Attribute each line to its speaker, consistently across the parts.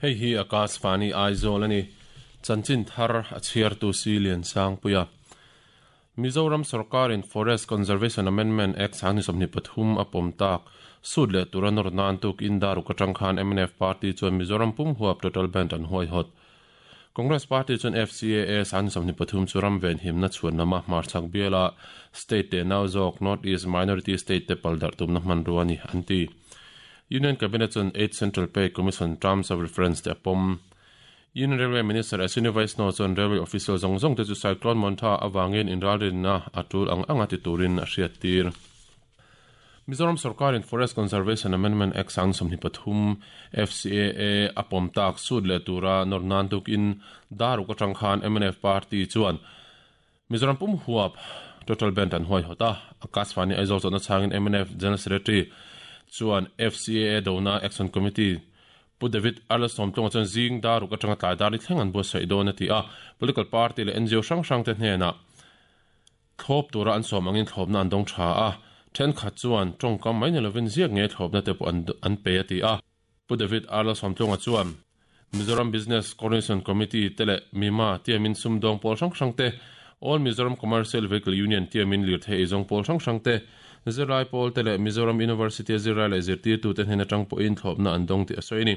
Speaker 1: Hei hi Akashvani Aizawl a ni. Chanchin thar a chhiartu si Liansangpuia. Mizoram sorkarin Forest Conservation Amendment Act 2023 a pawm tak sut leh tura nawr nan tuk in daruk atang khan MNF party chuan Mizoram pum huap total ban an huaihawt. Congress party chuan FCAA 2023 chu ram ven himna chhuan lama hmarchhak biala state te nau zawk North East Minority State te pal darh tumna hmanrua a ni an ti. Union Cabinet chuan Eighth Central Pay Commission Terms of Reference te a pawm. Union Railway Minister Ashwini Vaishnaw chuan railway official zawng zawng te chu Cyclone Montha avangin inralrinna a tul ang anga ti turin a hriat tir. Mizoram sorkarin Forest Conservation Amendment Act 2023 FCAA a pawm tak sut leh tura nawr nan tukin daruk atang khan MNF party chuan Mizoram pum huap total ban an huaihawt a. Akashvani Aizawl chawhna chhangin MNF General Secretary chuan FCAA dona Action Committee Pu David Arlesawm tlawngah chuan zing daruk atanga tlai dar i thleng an buatsaih dawn a ti a. Political party leh NGO hrang hrang te hnenah thlawp tura an sawm angin thlawpna an dawng tha a. Thenkhat chuan tawngkam mai ni lovin ziak nge thlawpna te pawh an pe a ti a. Pu David Arlesawm tlawngah chuan Mizoram Business Coordination Committee te leh MIMA tiamin sumdawng pawl hrang hrang te, All Mizoram Commercial Vehicle Union tiamin lirthei eizawng pawl hrang hrang te, zirlai pawl te leh Mizoram University a zirlai leh zirtirtute hnen atang pawhin thlawpna an dawng tih a sawi a ni.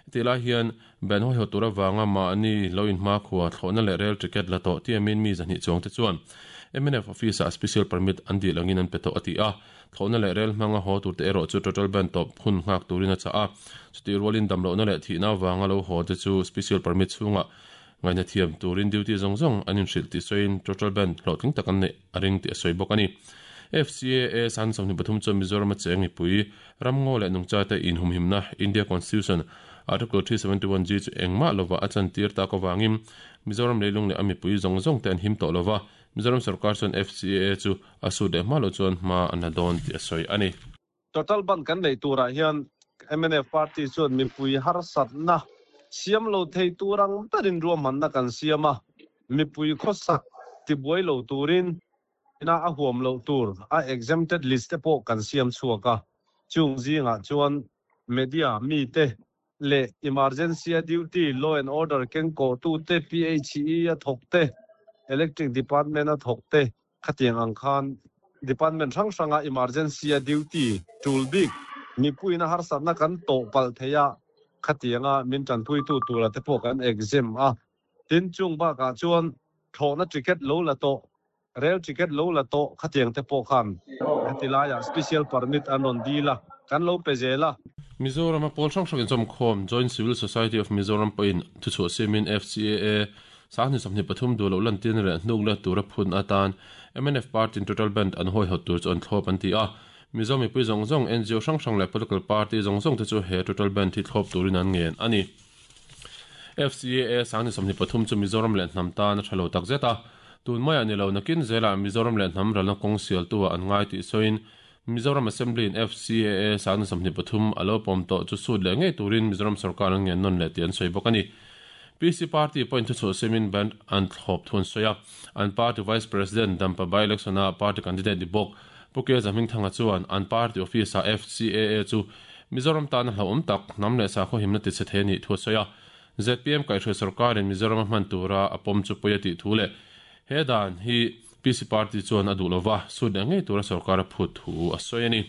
Speaker 1: Hetih lai hian ban hawihawt tur avanga mahni lo inhmakhua thlawhna leh rail ticket la tawh tiamin mi 200 chuang te chuan MNF office-ah special permit an dil angin an pe tawh a ti a. Thlawhna leh rel hmanga haw turte erawh chu total ban tawp hun nghak turin a chah a. Chutih rualin damlohna leh thihna avanga lo haw te chu special permit chhungah ngaihna thiam turin duty zawng zawng an inhrilh tih sawiin total ban hlawhtling tak an neih a ring tih a sawi bawk a ni. FCAA 23 chuan Mizoram a cheng mipui, ramngaw leh nungchate inhumhimna India Constitution Article 371G chu engmah lova a chantir tak avangin Mizoram leilung leh a mipui zawng zawng te an him tawh lova, Mizoram sorkar chuan FCAA chu a sut leh hma loh chuan hma an la dawn tih a sawi a ni.
Speaker 2: Total ban kan neih turah hian mnf party chuan mipui harsatna siam lo thei tur ang berin ruahmanna kan siam a, mipui khawsak tibuai lo turin ina a huam loh tur a exempted list te pawh kan siam chhuak a, chung zingah chuan media mite leh emergency a duty, law and order kengkawhtute, PHE a thawk te, electric department a thawk te, khatiang ang khan department hrang hranga emergency a duty tul bik mipuiin a harsatna kan tawh palh thei a, khatianga min tanpuitu tura te pawh kan exempt a. Tin, chung bakah chuan thlawhna ticket lo la tawh, Rail ticket lo la tawh khatiang te pawh khan heti laiah special permit an rawn dil a, kan lo pe zel a.
Speaker 1: Mizoram a pawl hrang hrang inchawmkhawm Joint Civil Society of Mizoram pawhin thuchhuah siamin FCAA 2023 duh loh lantirna leh hnuk let tura phun atan mnf party in total band an hawihawt tur chu an thlawp an ti a. Mizo mipui zawng zawng, NGO hrang hrang leh political party zawng zawng te chu he total band hi thlawp turin an ngen a ni. FCAA 2023 chu Mizoram leh hnam tan a tha lo tak zet a. Tun maiah ni lo nakin zelah Mizoram leh hnam ralna kawng sialtu-ah an ngai tih sawiin Mizoram Assembly-in FCAA 2023 a lo pawm tawh chu sut leh ngei turin Mizoram sorkar an ngen nawn leh tih an sawi bawk a ni. PC party pawhin thuchhuah siamin band an thlawp thu an sawi a. An party Vice President Dampa by-election-a party candidate ni bawk Pu Ke Zahmingthanga chuan an party office-ah FCAA chu Mizoram tana hlauhawm tak hnam leh sakhaw himna tichhe thei a nih thu a sawi a. Zpm kaihhruai sorkarin Mizoram a hman tura a pawm chu pawi a tih thu leh he dan hi PC party chuan a duh lova sut leh ngei tura sorkar a phut thu a sawi a ni.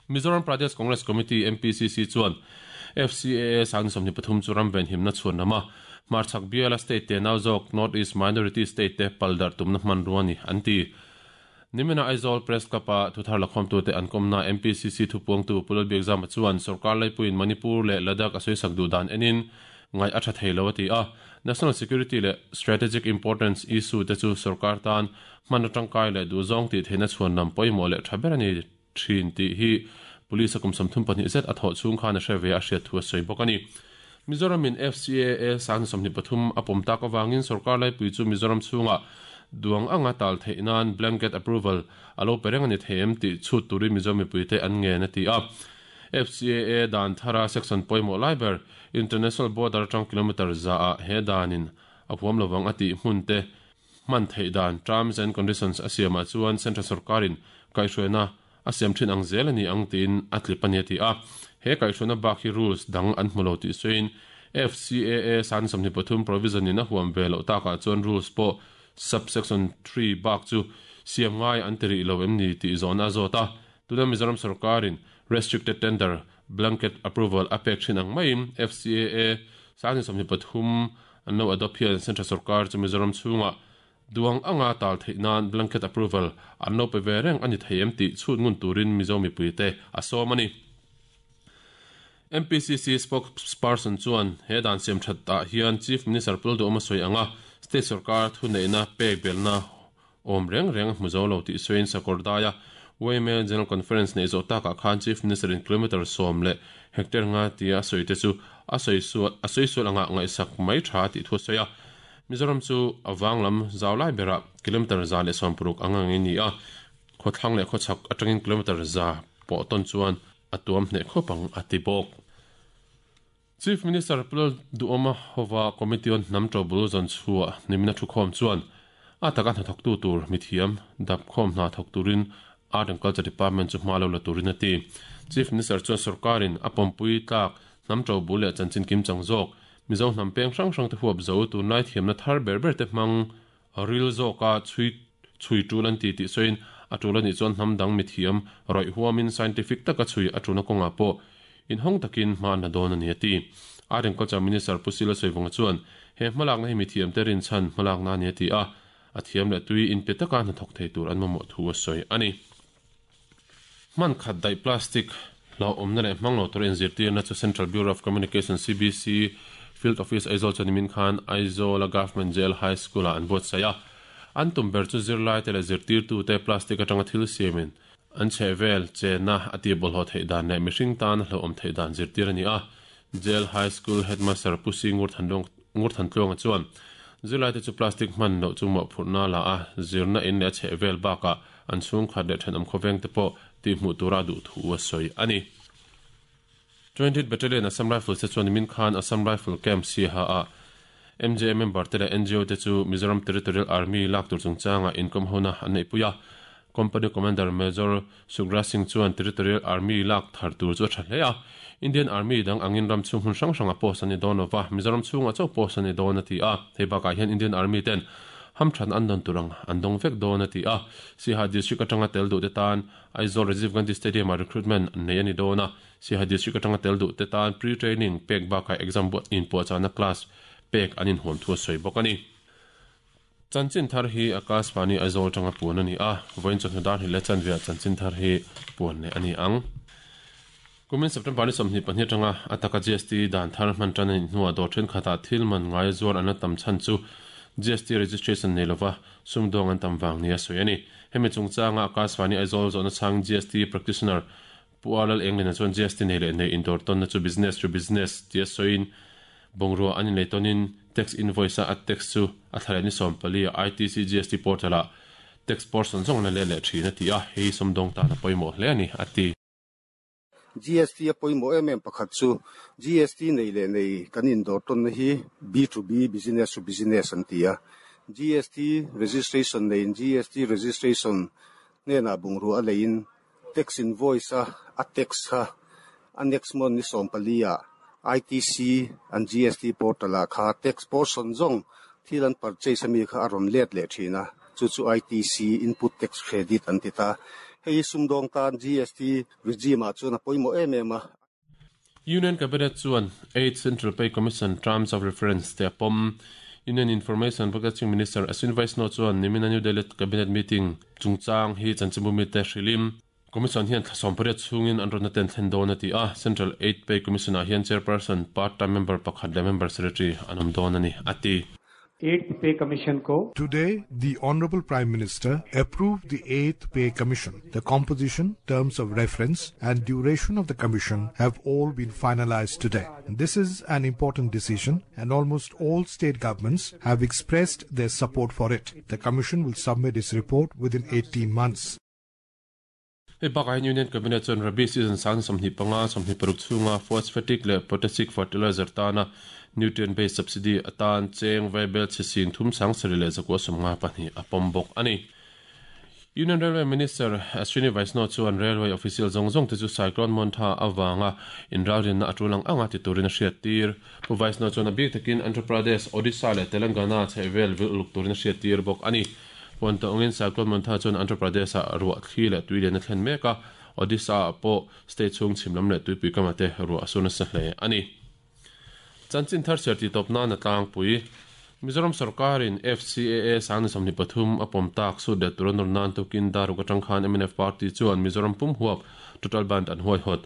Speaker 1: Mizoram Pradesh Congress Committee, MPCC, chuan FCAA 2023 chu ram venhimna chhuan lama hmarchhak biala state te nau zawk North East Minority State te pal darh tumna hmanrua a ni an ti. Nimina Aizawl Press Club-a thuthar lakhawmtute an kawmna MPCC thupuangtu Pu Lalbiakzama chuan sorkar laipuiin Manipur leh Ladakh a sawisak duh dan enin ngaih a tha thei lo a ti a. National Security leh Strategic Importance issue te chu sorkar tan hman atangkai leh duhzawng tih theihna chhuan lam pawimawh leh tha ber a ni thin tih hi Police a kum 32 zet a thawh chhung khan a hre ve a hriat thu a sawi bawk a ni. Mizoramin FCAA 2023 a pawm tak avangin sorkar laipui chu Mizoram chhungah duang anga tal theih nan blanket approval a lo pe reng a ni thei em tih chhut turin Mizo mipuite an ngen a ti a. FCAA dan thara section pawimawh lai ber International Border atang kilometre zaah he danin a huam lovang a tih hmun te. hman theih dan, terms and conditions, a siamah chuan Central sorkarin kaihhruaina a siam thin ang zel a ni ang tiin a tlip a ni a ti a. He kaihhruaina bak hi rules dang an hmu lo tih sawiin FCAA 23 provision in a huam ve loh takah chuan rules pawh subsection 3 bak chu siam ngai an ti rih lo em ni tih zawhna a zawt a. Tuna Mizoram sorkarin restricted tender blanket approval a pek thin ang maiin FCAA 23 an lo adopt hian Central sorkar chu Mizoram chhungah duang anga tal theih nan blanket approval an lo pe ve reng a ni thei em tih chhut ngun turin Mizo mipuite a sawm a ni. MPCC spokesperson chuan he dan siam that ah hian Chief Minister Pu Lalduhawma sawi anga state sorkar thuneihna pek belhna awm reng reng a hmu zo lo tih sawiin Sakawrdaia YMA General Conference neih zawh takah khan Chief Minister in kilometre sawm leh hectare nga tia a sawi te chu a sawi sual a sawi sual anga ngaihsak mai tha tih thu a sawi a. Mizoram chu a vang lam zau lai berah kilometre 160 ang ang in ni a, khawthlang leh khawchhak atangin kilometre za pawh tawn chuan a tuam hneh khawp ang a ti bawk. Chief Minister Pu Lalduhawma hova Committee on Hnam Ṭobul zawn chhuah nimina thukhawm chuan a taka hnathawktu tur mithiam dap khawm hna thawk turin Art and Culture Department chu hma lo la turin a ti. Chief Minister chuan sorkarin a pawmpui tlak hnam ṭobul leh chanchin kimchang zawk Mizo hnam peng hrang hrangte huap zo tunlai thiamna thar ber berte hmang ril zawka chhui chhui ṭul an ti tih sawiin a ṭul anih chuan hnam dang mithiam rawih huamin scientific taka chhui a ṭulna kawngah pawh inhawng takin hma an la dawn a ni a ti. Art and Culture Minister Pu Sila Sawivunga chuan he hmalakna hi mithiamte rinchhan hmalakna a ni a ti a, a thiam leh tui inpe taka hnathawk thei tur an mamawh thu a sawi a ni. Hman khat daih plastic hlauhawmna leh hmang lo tura inzirtirna chu Central Bureau of Communication, CBC, Field Office Aizawl chuan nimin khan Aizawl-a Government Jail High School-ah an buatsaih a. An tum ber chu zirlaite leh zirtirtute plastic atanga thil siamin an chhehvel chenna a tihbawlhhlawh theih dan leh mihring tan a hlauhawm theih dan zirtir a ni a. Jail High School Headmaster Pu Si Ngurthantluanga chuan zirlaite chu plastic hman loh chu mawhphurhna la a, zirna in leh a chhehvel bakah an chhungkhat leh thenawm khawveng te pawh tihhmuh tura duh thu a sawi a ni. Twenty Battalion Assam Rifles te chuan nimin khan Assam Rifle Camp Siaha ah MJA member te leh NGO te chu Mizoram Territorial Army lak tur chungchangah inkawm hona an neihpui a. Company Commander Major Sugra Singh chuan Territorial Army lak thar tur chu a tha hle a. Indian Army dang angin ram chhung hmun hrang hrangah post an ni dawn lova, Mizoram chhungah chauh post an ni dawn a ti a. Hei bakah hian Indian Army ten hamthan an dawn tur ang an dawng vek dawn a ti a. Siaha District atanga tel duh te tan Aizawl Rajiv Gandhi Stadium-ah recruitment an nei a ni dawn a. Siaha District atanga tel duh te tan pre-training pek bakah exam buat inpuahchahna class pek an inhuam thu a sawi bawk a ni. Chanchin thar hi Akashvani Aizawl atanga puan a ni a, vawiin chawhnu dar hnih leh chanveah chanchin thar hi puan leh a ni ang. Kumin September ni 22 atanga a taka GST dan thar hman tan a nih hnuah dawr thenkhatah thil man ngaia zuar an la tam chhan chu GST registration nei lova sumdawng an tam vang nia sawi a ni. Hemi chungchanga Akashvani Aizawl zawhna chhang GST practitioner Pu Arlal Englena chuan GST nei leh nei indawr tawnna chu business to business tia sawiin bungrua an inlei tawnin tax invoice a a tax chu a thla leh ni 14 a ITC GST portal ah tax portion zawng an la let leh thin a ti a, hei hi sumdawng tan a pawimawh hle a ni a ti.
Speaker 3: GST a pawimawh em em pakhat chu GST nei leh nei kan indawr tawnna hi B to B, business to business an ti a, GST registration neiin GST registration hnenah bungrua a leiin Tax invoice a a tax kha a next month ni 14 ah ITC an GST portal ah kha tax portion zawng thil an purchase ami kha a rawn let leh thin a, chu chu ITC input tax credit an ti ta. Hei hi sumdawng tan GST regime ah chuan a pawimawh em em a.
Speaker 1: Union Cabinet chuan Eighth Central Pay Commission Terms of Reference te a pawm. Union Information Broadcasting Minister Ashwin Vaishnaw chuan nimina New Delhi Cabinet meeting chungchang hi chanchinbu mite hrilhin Commission hian thla 18 chhungin an rawtna te an thlen dawn a ti a. Central Eighth Pay Commission ah hian Chairperson, Part-time Member pakhat leh Member Secretary an awm dawn a ni, a ti.
Speaker 4: Eighth Pay Commission ko.
Speaker 5: Today, the Honorable Prime Minister approved the Eighth Pay Commission. The composition, terms of reference and duration of the commission have all been finalized today. This is an important decision and almost all state governments have expressed their support for it. The commission will submit its report within 18 months.
Speaker 1: Hei bakah hian Union Cabinet chuan Rabi season sang 25, 26 chhunga phosphatic leh potassic fertilizer tana Nutrient Based Subsidy atan cheng vaibelchhe 37,952 a pawm bawk a ni. Union Railway Minister Ashwini Vaishnaw chuan Railway official zawng zawng te chu Cyclone Montha avanga inralrinna a tul ang anga ti turin a hriattir. Pu Vaishnaw chuan a bik takin Andhra Pradesh, Odisha leh Telangana chhehvel vil uluk turin a hriattir bawk a ni. Puan tawngin Cyclone Montha chuan Andhra Pradesh-ah ruah thli leh tui lian a thlen mek a, Odisha-ah pawh state chhung chhim lam leh tuipui kamah te ruah a sur nasa hle a ni. Chanchin thar chhiar tih tawp nan a tlangpui. Mizoram sorkarin FCAA 2023 a pawm tak sut leh tur a nawr nan tukin Daruk atang khan mnf party chuan Mizoram pum huap total bandh an huaihawt.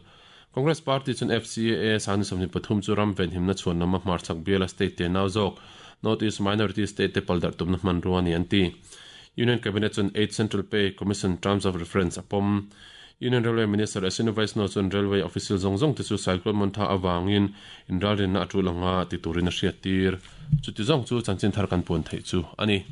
Speaker 1: Congress party chuan FCAA 2023 chu ram venhimna chhuan lama hmarchhak biala state te nau zawk North East Minority State te paldarh tumna hmanrua a ni an ti. Union Cabinet chuan Eighth Central Pay Commission Terms of Reference a pawm. Union Railway Minister Ashwini Vaishnaw chuan Railway official zawng zawng te chu Cyclone Montha avangin inralrinna a tul anga ti turin a hriattir. Chuti zawng chu chanchin thar kan puan theih chu a ni.